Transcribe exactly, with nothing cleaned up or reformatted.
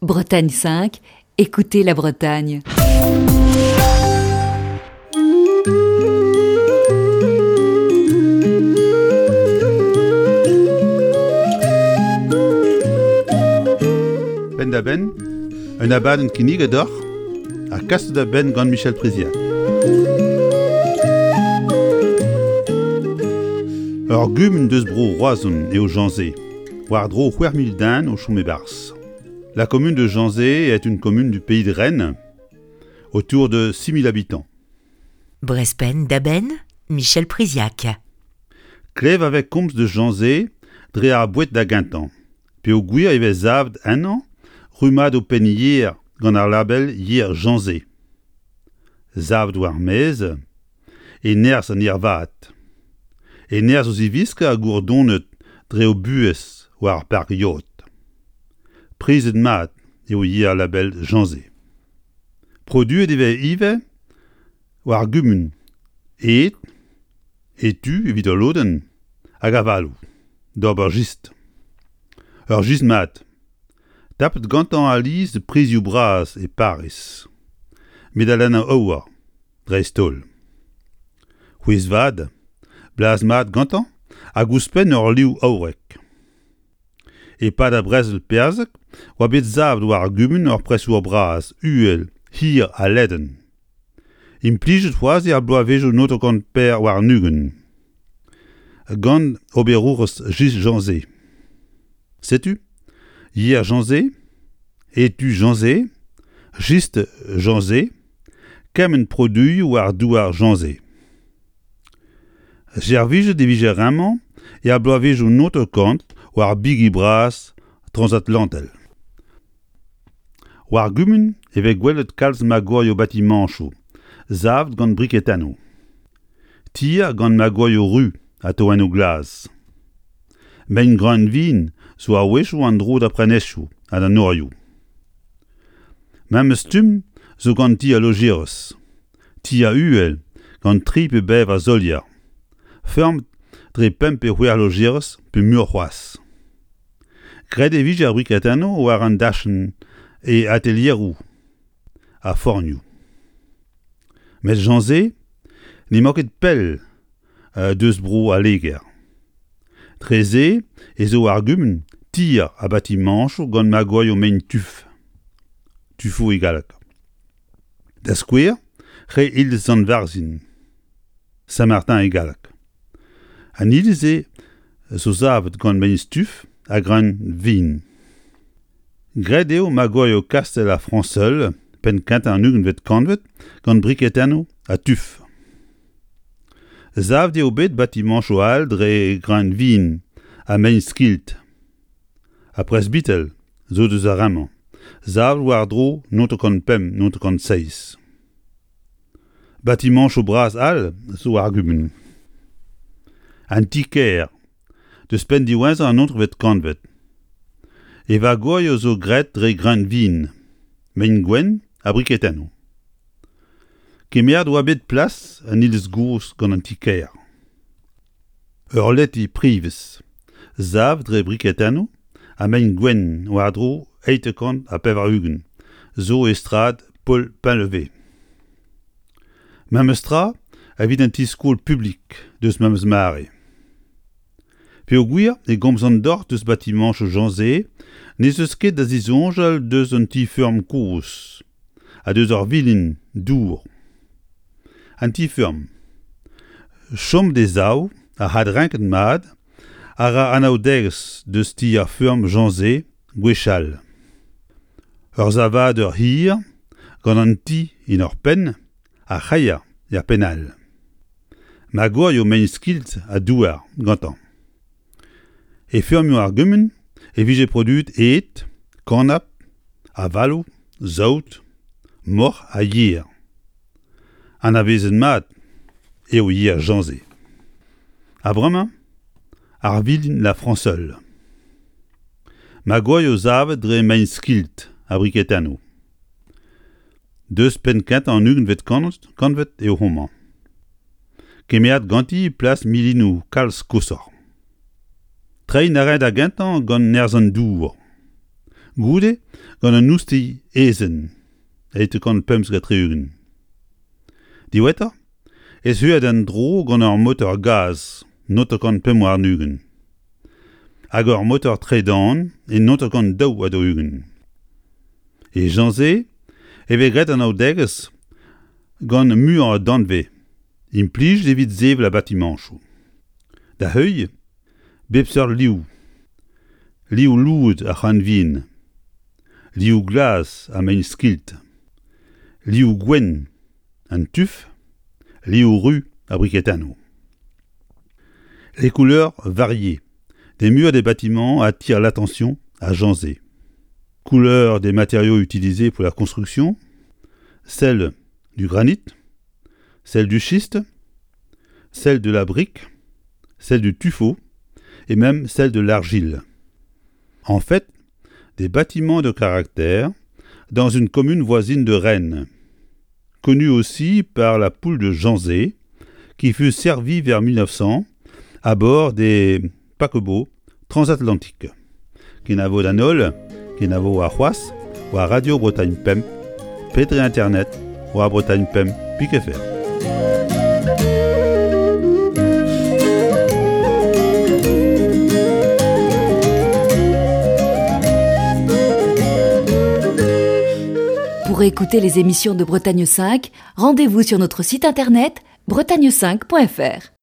Bretagne cinq, écoutez la Bretagne. Penn da benn, un abadenn kinniget deoc'h ha kaset da benn gant Michel Priziac. Ur gumun deus bro Roazhon eo Jañse, war-dro c'hwec'h mil den o chom e-barzh. La commune de Janzé est une commune du pays de Rennes, autour de six mille habitants. Brezh Penn da Benn, Michel Priziac. Klev a vez komz deus Janzé dre ar boued da gentañ, peogwir e vez savet ennañ rummadoù penn-yer gant ar label Yer Janzé. Savet war ar maez, e nerzh an yer vat. E nerzh o ziviskañ ha gourdonet dre o buhez war ar park-yod. Prizet mat eo yer label Janzé. Produet e vez ivez war gumun ed, etu evit ul lodenn, hag avaloù, d'ober jistr. Ur jistr mat. Tapet gantañ alies prizioù bras e Pariz. Medalennoù aour, dreist-holl. C'hwezh vat, blaz mat gantañ hag ouzhpenn ur liv aourek. E-pad ar brezel perzhek oa bet savet war ar gumun ur presour bras, uhel, hir ha ledan. Implijet c'hoazh er bloavezhioù naontek pevar warn-ugent. Gant oberourez Jistr Jañse. Setu, Yer Jañse, etu Jañse, Jistr Jañse, kement produioù war douar Jañse. Servijet e vije remañ er bloavezhioù naontek kant war bigi bras transatlantel. War gumun e vez gwelet kalz magorioù batimañchoù, savet gant briketennoù. Tier gant magorioù ru ha toennoù glas. Mein greunvin zo a-wechoù an dro d'ar prenestroù ha d'an norioù. Memes stumm zo gant ti al lojerez. Ti a-uhel gant tri pe bevar solier. Feurmet dre pemp pe c'hwec'h lojerez pe muioc'h c'hoazh. Graet e vije ar briketennoù war an dachenn e atelieroù ha fornioù. Met Jañse n'emañ ket pell deus bro al Leger. Dre-se ez eo ar gumun tier ha batimañchoù gant magorioù mein tuf. Tufoù e galleg. Da skouer, re iliz Sant-Varzhin, Saint-Martin e galleg. An iliz-se zo savet gant mein stuf ha greun vin. Graet eo magorioù kastell ar Frañseul penn kentañ an ugentvet kantved gant briketennoù ha tuf. Savet eo bet batimañchoù all dre greun vin ha mein skilt. Ha presbital zo deus ar re-mañ, savet war-dro naontek kant pemp naontek kant seizh. Batimañchoù bras all zo war ar gumun. An ti-kêr, deus penn diwezhañ an naontekvet kantved. E vagorioù zo graet dre greun vin, mein gwenn ha briketennoù. Kemeret oa bet plas an iliz gozh gant an ti-kêr. Ur leti privez, savet dre briketennoù ha mein gwenn war-dro eizhtek kant ha pevar-ugent, zo e strad Paul Painlevé. Memes tra evit an ti-skol publik deus memes mare. Peogwir e gomzan deoc'h deus batimañchoù Jañse, n'ez eus ket da zisoñjal deus un ti-feurm kozh ha deus ur vilin dour. An ti-feurm. Chom d'e sav ha adrenket mat a ra anaoudegezh deus ti ar feurm Jañse gwechall. Ur savadur hir gant an ti en ur penn ha c'hreier er penn all. Magorioù mein skilt ha douar gantañ. E feurmioù ar gumun e vije produet ed, kanab, avaloù, saout, moc'h ha yer. Anavezet mat eo yer Jañse. Ha bremañ, ar vilin La Franseul. Magorioù savet dre mein skilt ha briketennoù. Deus penn kentañ an ugentvet kantved eo homañ. Kemeret ganti plas milinoù kalz koshoc'h. Treiñ a rae da gentañ gant nerzh an dour. Goude gant an oustilh aezhenn eizh kant pemzek ha tri-ugent. Diwezhatoc'h ez eas en-dro gant ur motor gaz naontek kant pemp warn-ugent hag ur motor tredan e naontek kant daou ha daou-ugent. E Janzé e vez graet anaoudegezh gant muioc'h a danvez implijet evit sevel ar batimañchoù. Da heuilh, bep seurt liv. Liv louet ar c'hranvin, liv glas ar mein-skilt, liv gwenn an tuf, liv ruz ar briketennoù. Les couleurs variées des murs des bâtiments attirent l'attention à Janzé. Couleur des matériaux utilisés pour la construction, celle du granit, celle du schiste, celle de la brique, celle du tuffeau et même celle de l'argile. En fait, des bâtiments de caractère dans une commune voisine de Rennes, connue aussi par la poule de Janzé, qui fut servie vers mille neuf cents à bord des paquebots transatlantiques. Kenavo d'an holl, kenavo ar c'hoazh, war Radio Bretagne Pemp, Petre Internet, war Bretagne Pemp, pik F R. Pour écouter les émissions de Bretagne cinq, rendez-vous sur notre site internet bretagne cinq point F R.